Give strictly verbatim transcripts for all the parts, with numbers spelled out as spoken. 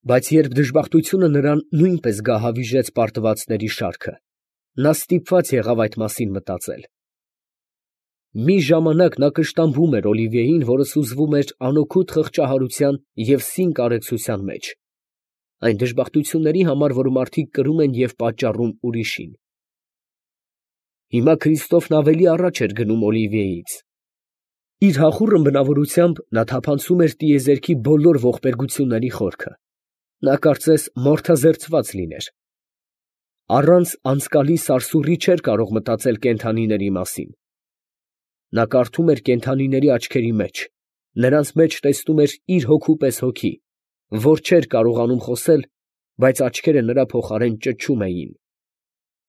Բայց երբ դժբախտությունը նրան նույնպես գահավիժեց պարտվածների շարքը, նա ստիպված եղավ այդ մասին մտածել։ Մի ժամանակ նա կշտամբում էր Օլիվիեին, որը սուզվում էր անօգուտ խղճահարության և սին կարեկցության մեջ, այն դժբախտությունների համար, որ մարդիկ կրում են և պատճառում ուրիշին։ Հիմա Քրիստոֆն ավելի առաջ էր գնում Օլիվիեից։ Իր հախուռն բնավորությամբ նա թափանցում էր տիեզերքի բոլոր ողբերգությունների խորքը, նա կարծես մորթազերծված լիներ։ Առանց անցկալի սարսուռի չէր կարող մտածել կենդանիների մասին։ Նա կարդում էր կենդանիների աչքերի մեջ, նրանց մեջ տեսնում էր իր հոգու պես հոգի, որ չէր կարողանում խոսել, բայց աչքերը նրա փոխարեն ճչում էին.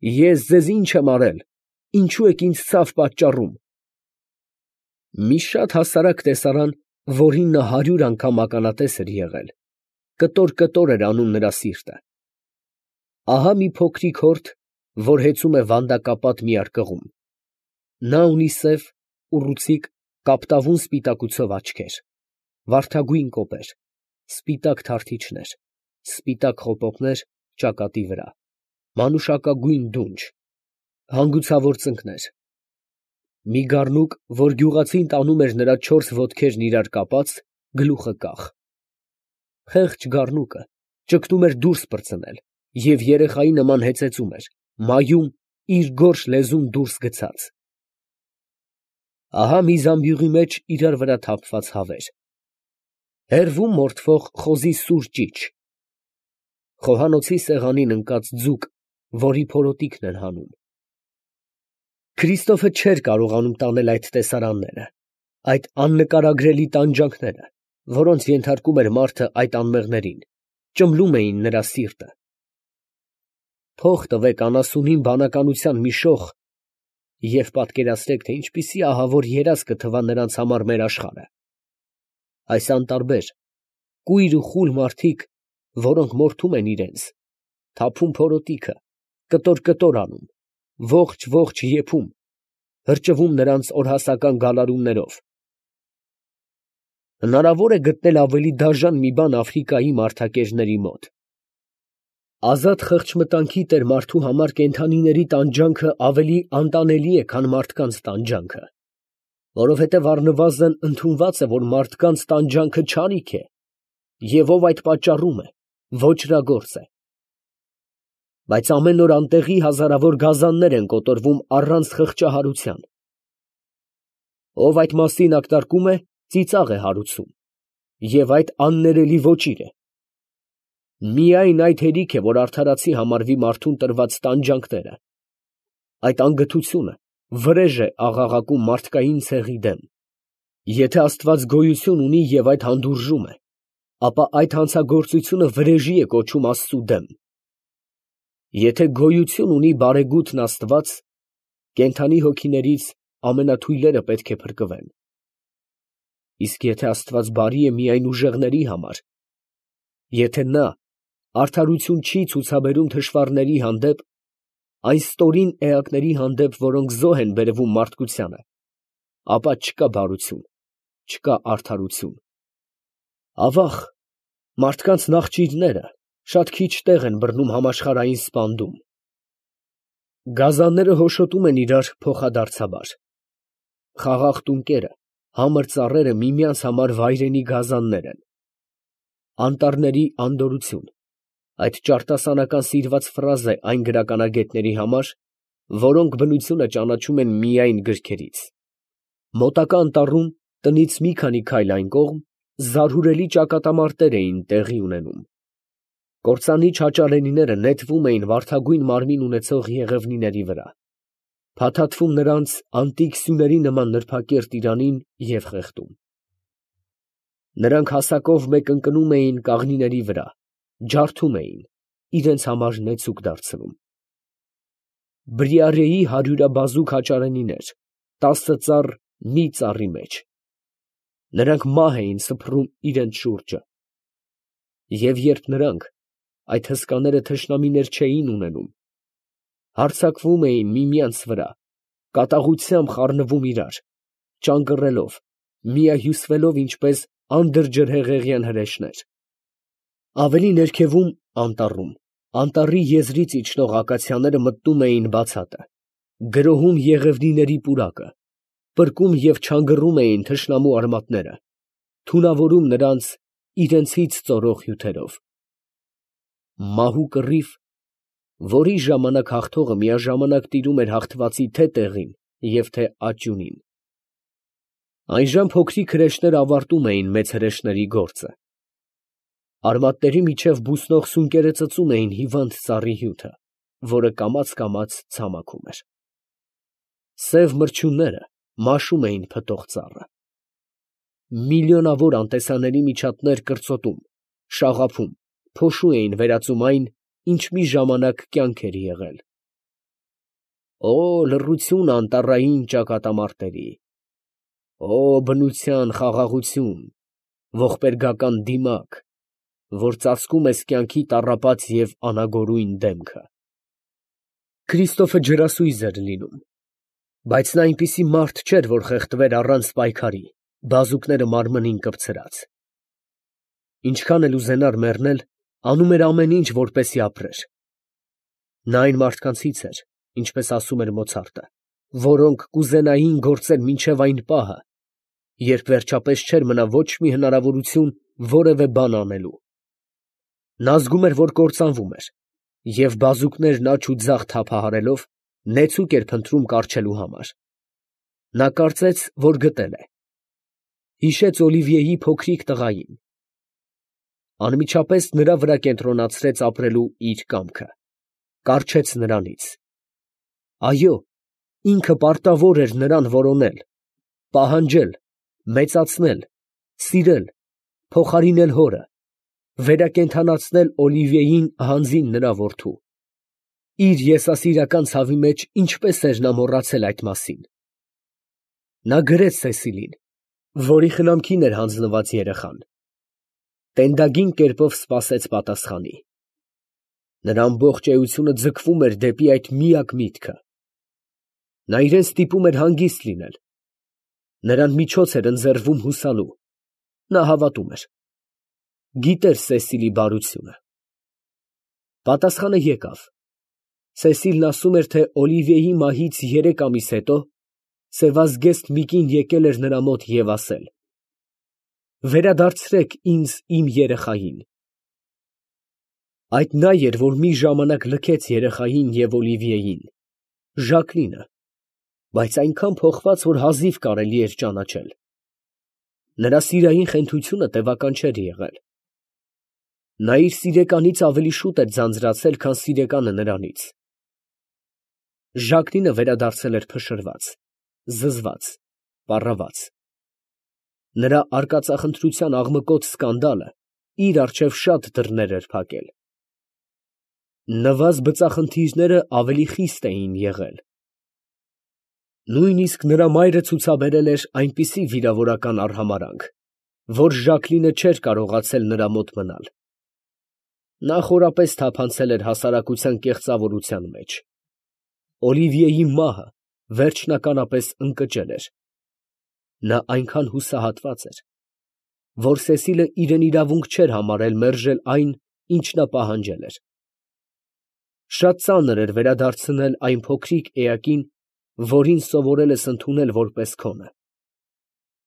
«Ես ձեզ ի՞նչ եմ արել, ինչո՞ւ եք ինձ ցավ պատճառում»։ Մի շատ հասարակ տեսարան, որին նա հարյուր անգամ ականատես էր եղել, կտոր֊կտոր էր անում նրա սիրտը։ Ահա մի փոքրիկ հորդ, որ հեծում է վանդակապատ մի արկղում. նա ունի սև, ուռուցիկ, կապտավուն սպիտակուցով աչքեր, վարդագույն կոպեր, սպիտակ թարթիչներ, սպիտակ խոպոկներ ճակատի վրա, մանուշակագույն դունչ, հանգուցավոր ծնկներ, մի գառնուկ, որ գյուղացին տանում էր նրա չորս ոտքերն իրար կապած, գլուխը կախ։ Խեղճ գառնուկը ճկտում էր դուրս պրծնել և երեխայի նման հեծեծում էր, մայում, իր գորշ լեզուն դուրս գցած։ Ահա մի զամբյուղի մեջ իրար վրա թափված հավեր, հեռվում մորթվող խոզի սուր ճիչ, խոհանոցի սեղանին ընկած ձուկ, որի փորոտիքն են հանում։ Քրիստոֆը չէր կարողանում տանել այդ տեսարանները, այդ աննկարագրելի տանջանքները, որոնց ենթարկում էր մարդը այդ անմեղներին, ճմլում էին նրա սիրտը։ Փող տվեք անասունին բանականության մի շող և պատկերացրեք, թե ինչպիսի ահավոր երազ կթվա նրանց համար մեր աշխարհը։ Այս անտարբեր, կույր ու խուլ մարդիկ, որոնք մորթում են իրենց, թափում փորոտիքը, կտոր֊կտոր անում, ողջ֊ողջ եփում, հրճվում նրանց օրհասական գալարումներով։ Հնարավոր է գտնել ավելի դաժան մի բան Աֆրիկայի մարդակերների մոտ։ Ազատ խղճմտանքի տեր մարդու համար կենդանիների տանջանքը ավելի անտանելի է, քան մարդկանց տանջանքը, որովհետև առնվազն ընդունված է, որ մարդկանց տանջանքը չարիք է, և ով այդ պատճառում է, ոճրագործ է։ Բայց ամեն օր անտեղի հազարավոր գազաններ են կոտորվում առանց խղճահարության։ Ով այդ մասին ակնարկում է, ծիծաղ է հարուցում, և այդ աններելի ոճիր է։ Միայն այդ հերիք է, որ արդարացի համարվի մարդուն տրված տանջանքները։ Այդ անգթությունը վրեժ է աղաղակում մարդկային ցեղի դեմ։ Եթե Աստված գոյություն ունի և այդ հանդուրժում է, ապա այդ հանցագործությունը վրեժի է կոչում Աստծու դեմ։ Եթե գոյություն ունի բարեգութն Աստված, կենդանի հոգիներից ամենաթույլերը պետք է փրկվեն։ Իսկ եթե Աստված բարի է միայն ուժեղների համար, եթե նա արդարություն չի ցուցաբերում թշվառների հանդեպ, այն ստորին էակների հանդեպ, որոնք զոհ են բերվում մարդկությանը, ապա չկա բարություն, չկա արդարություն։ Ավաղ, մարդկանց նախճիրները շատ քիչ տեղ են բռնում համաշխարհային սպանդում։ Գազանները հոշոտում են իրար փոխադարձաբար։ Խաղաղ տունկերը, համր ծառերը միմյանց համար վայրենի գազաններ են։ Անտառների անդորրություն, այդ ճարտասանական սիրված ֆրազ է այն գրականագետների համար, որոնք բնությունը ճանաչում են միայն գրքերից։ Մոտակա անտառում, տնից մի քանի քայլ այն կողմ, զարհուրելի ճակատամարտեր էին տեղի ունենում։ Կործանի չաճարենիները նետվում էին վարդագույն մարմին ունեցող եղևնիների վրա, փաթաթվում նրանց անտիկ սյուների նման նրբակերտ իրանին և խեղդում։ Նրանք հասակով մեկընկնում էին կաղնիների վրա, ջարդում էին, իրենց համար նեցուկ դարձնում։ Բրիարեի հարյուրաբազուկ հաճարենիներ, տասը ծառ մի ծառի մեջ։ Նրանք մահ էին սփռում իրենց շուրջը։ Եվ երբ նրանք, այդ հսկաները թշնամիներ չէին ունենում, հարձակվում էին միմյանց վրա, կատաղությամբ խառնվում իրար, ճանկռելով, միահյուսվելով ինչպես անդրջրհեղեղյան հրեշներ, Ավելի ներքևում անտառում, անտառի եզրից իջնող ակացիաները մտնում էին բացատը, գրոհում եղևնիների պուրակը, պրկում և չանգռում էին թշնամու արմատները, թունավորում նրանց իրենցից ծորող հյութերով։ Մահու կռիվ, որի ժամանակ հաղթողը միաժամանակ տիրում էր հաղթվածի թե տեղին և թե աջունին։ Այժմ փոքրիկ հրեշները ավարտում էին մեծ հրեշների գործը։ Արմատների միջև բուսնող սունկերը ծծում էին հիվանդ ծառի հյութը, որը կամաց֊կամաց ցամաքում էր։ Սև մրջյունները մաշում էին փտող ծառը։ Միլիոնավոր անտեսանելի միջատներ կրծոտում, շաղափում, փոշու էին վերածում այն, ինչ մի ժամանակ կյանք էր եղել։ Օ լռություն անտառային ճակատամարտերի, օ բնության խաղաղություն, ողբերգական դիմակ, որ ծածկում ես կյանքի տառապած և անագորույն դեմքը։ Քրիստոֆը ջրասույզ էր լինում, բայց նա այնպիսի մարդ չէր, որ խեղդվեր առանց պայքարի, բազուկները մարմնին կպցրած։ Ինչքան էլ ուզենար մեռնել, անում էր ամեն ինչ, որպեսզի ապրեր։ Նա այն մարդկանցից էր, ինչպես ասում էր Մոցարտը, որոնք կուզենային գործել մինչև այն պահը, երբ վերջապես չէր մնա ոչ մի հնարավորություն որևէ բան անելու։ Նա զգում էր, որ կործանվում էր, և բազուկներն աջ ու ձախ թափահարելով, նեցուկ էր փնտրում կառչելու համար։ Նա կարծեց, որ գտել է։ Հիշեց Օլիվիեի փոքրիկ տղային։ Անմիջապես նրա վրա կենտրոնացրեց ապրելու իր կամքը, կառչեց նրանից։ Այո, ինքը պարտավոր էր նրան որոնել, պահանջել, մեծացնել, սիրել, փոխարինել հորը, վերակենդանացնել Օլիվիեին հանձին նրա որդու։ Իր եսասիրական ցավի մեջ ինչպես էր նա մոռացել այդ մասին։ Նա գրեց Սեսիլին, որի խնամքին էր հանձնված երեխան։ Տենդագին կերպով սպասեց պատասխանի։ Նրա ամբողջ էությունը ձգվում էր դեպի այդ միակ միտքը։ Նա իրան ստիպում էր հանգիստ լինել։ Նրան միջոց էր ընձեռվում հուսալու։ Նա հավատում էր։ Գիտեր Սեսիլի բարությունը։ Պատասխանը եկավ։ Սեսիլն ասում էր, թե Օլիվիեի մահից երեք ամիս հետո սևազգեստ մի կին եկել էր նրա մոտ և ասել. «Վերադարձրեք ինձ իմ երեխային»։ Այդ նա էր, որ մի ժամանակ լքեց երեխային և Օլիվիեին, Ժակլինը, բայց այնքան փոխված, որ հազիվ կարելի էր ճանաչել։ Նրա սիրային խենթությունը տևական չէր եղել։ Նա իր սիրեկանից ավելի շուտ էր ձանձրացել, քան սիրեկանը նրանից։ Ժակլինը վերադարձել էր փշրված, զզված, պառաված։ Նրա արկածախնդրության աղմկոտ սկանդալը իր առջև շատ դռներ էր փակել։ Նվազ բծախնդիրները ավելի խիստ էին եղել։ Նույնիսկ նրա մայրը ցուցաբերել էր այնպիսի վիրավորական արհամարհանք, որ Ժակլինը չէր կարողացել նրա մոտ մնալ։ Նա խորապես թափանցել էր հասարակության կեղծավորության մեջ։ Օլիվիեի մահը վերջնականապես ընկճել էր։ Նա այնքան հուսահատված էր, որ Սեսիլը իրեն իրավունք չէր համարել մերժել այն, ինչ նա պահանջել էր։ Շատ ծանր էր վերադարձնել այն փոքրիկ էակին, որին սովորել ես ընդունել որպես քոնը։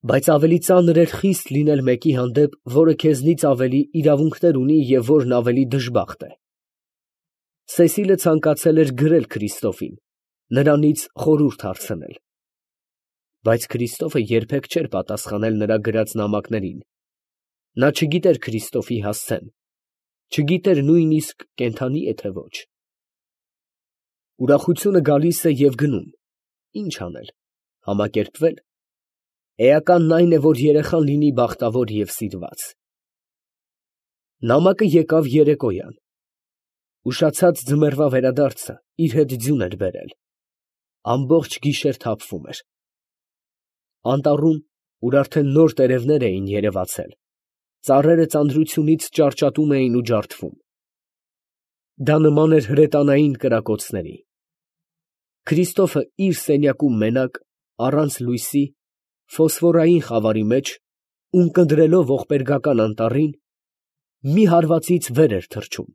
Բայց ավելի ծանր էր խիստ լինել մեկի հանդեպ, որը քեզնից ավելի իրավունքներ ունի և որն ավելի դժբախտ է։ Սեսիլը ցանկացել էր գրել Քրիստոֆին, նրանից խորհուրդ հարցնել։ Բայց Քրիստոֆը երբեք չէր պատասխանել նրա գրած նամակներին։ Նա չգիտեր Քրիստոֆի հասցեն, չգիտեր նույնիսկ կենդանի է, թե ոչ։ Ուրախությունը գալիս է և գնում, ինչ անել, համակերպվել։ Էականն այն է, որ երեխան լինի բախտավոր և սիրված։ Նամակը եկավ երեկոյան։ Ուշացած ձմեռվա վերադարձը իր հետ ձյուն էր բերել։ Ամբողջ գիշեր թափվում էր։ Անտառում, ուր արդեն նոր տերևներ էին երևացել, ծառերը ծանրությունից ճարճատում էին ու ջարդվում։ Դա նման էր հրետանային կրակոցների։ Քրիստոֆը իր սենյակում մենակ, առանց լույսի, ֆոսֆորային խավարի մեջ, ունկնդրելով ողբերգական անտառին, մի հարվածից վեր էր թռչում։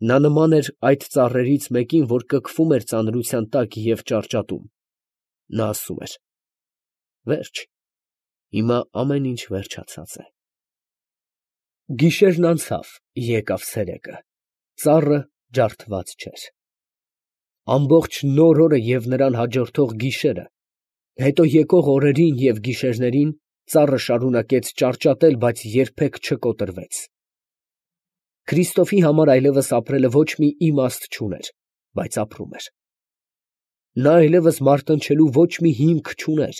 Նա նման էր այդ ծառերից մեկին, որ կքվում էր ծանրության տակ և ճարճատում։ Նա ասում էր. «Վերջ, հիմա ամեն ինչ վերջացած է»։ Գիշերն անցավ, եկավ ցերեկը, ծառը ջարդված չէր։ Ամբողջ նոր օրը և նրան հաջորդող գիշերը, հետո եկող օրերին և գիշերներին ծառը շարունակեց ճարճատել, բայց երբեք չկոտրվեց։ Քրիստոֆի համար այլևս ապրելը ոչ մի իմաստ չուներ, բայց ապրում էր։ Նա այլևս մարտնչելու ոչ մի հիմք չուներ,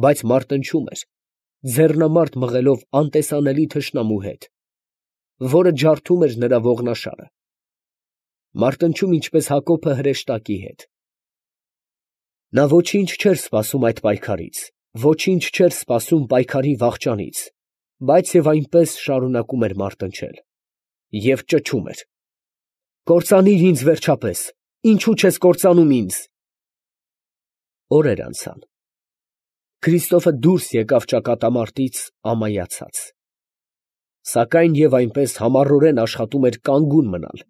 բայց մարտնչում էր, ձեռնամարտ մղելով անտեսանելի թշնամու հետ, որը ջարդում էր նրա ողնաշարը, մարտնչում ինչպես Հակոբը հրեշտակի հետ։ Նա ոչինչ չէր սպասում այդ պայքարից, ոչինչ չէր սպասում պայքարի վախճանից, բայց և այնպես շարունակում էր մարտնչել և ճչում էր. «Կործանիր ինձ վերջապես, ինչո՞ւ չես կործանում ինձ»։ Օրեր անցան։ Քրիստոֆը դուրս եկավ ճակատամարտից ամայացած։ Սակայն և այնպես համառորեն աշխատում էր կանգուն մնալ,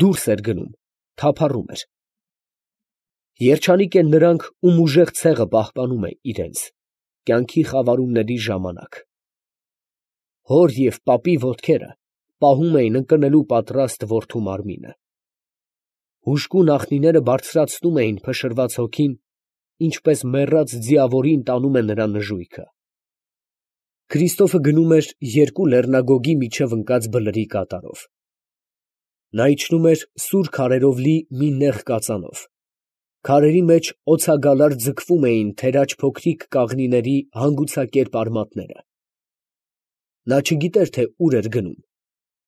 դուրս էր գնում, թափառում էր։ Երջանիկ են նրանք, ում ուժեղ ցեղը պահպանում է իրենց կյանքի խավարումների ժամանակ։ Հոր և պապի ոտքերը պահում էին ընկնելու պատրաստ որդու մարմինը։ Հուժկու նախնիները բարձրացնում էին փշրված հոգին, ինչպես մեռած ձիավորին տանում է նրա նժույգը։ Քրիստոֆը գնում էր երկու լեռնագոգի միջև ընկած բլրի կատարով։ Նա իջնում էր սուր քարերով լի մի նեղ կածանով, քարերի մեջ օձագալար ձգվում էին թերաջ փոքրիկ կաղնիների հանգուցակերպ արմատները։ Նա չգիտեր, թե ուր էր գնում,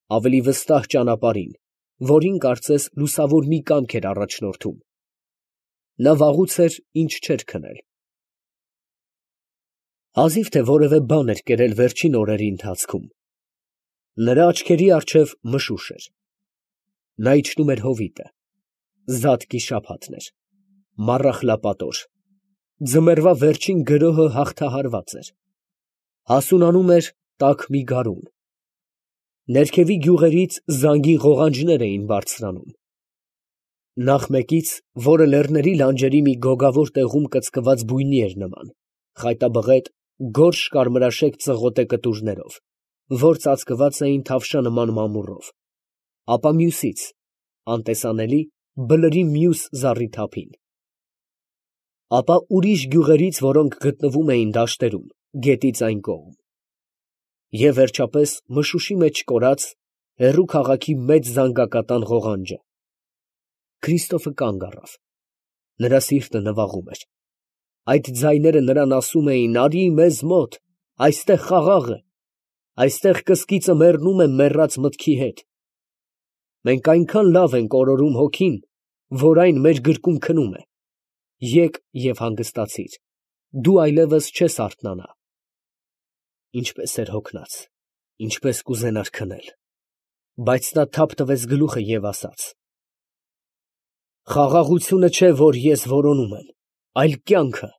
ավելի վստահ ճանապարհին, որին կարծես լուսավոր մի կամք էր առաջնորդում։ Նա վաղուց էր, ինչ չէր քնել։ Հազիվ թե որևէ բան էր կերել վերջին օրերի ընթացքում։ Նրա աչքերի առջև մշուշ էր։ Նա իջնում էր հովիտը, զատկի շաբաթն էր, մառախլապատոր, ձմեռվա վերջին գրոհը հաղթահարված էր, հասունանում էր տաք մի գարուն, ներքևի գյուղերից զանգի ղողանջներ էին բարձրանում։ Նախ մեկից, որը լեռների լանջերի մի գոգավոր տեղում կծկված բույնի էր նման, խայտաբղետ, գորշ կարմրաշեկ ծղոտե կտուրներով, որ ծածկված էին թավշա նման մամուռով, ապա մյուսից, անտեսանելի, բլրի մյուս զառիթափին, ապա ուրիշ գյուղերից, որոնք գտնվում էին դաշտերում, գետից այն կողմ, և վերջապես մշուշի մեջ կորած, հեռու քաղաքի մեծ զանգակատան ղողանջը։ Քրիստոֆը կանգ առավ, նրա սիրտը նվաղում էր։ Այդ ձայները նրան ասում էին. «Արի մեզ մոտ, այստեղ խաղաղ է, այստեղ կսկիծը մեռնում է մեռած մտքի հետ։ Մենք այնքան լավ ենք օրորում հոգին, որ այն մեր գրկում քնում է։ Եկ և հանգստացիր, դու այլևս չես արթնանա»։ Ինչպես էր հոգնած, ինչպես կուզենար քնել, բայց նա թափ տվեց գլուխը և ասաց. «Խաղաղությունը չէ, որ ես որոնում եմ, այլ կյանքը»։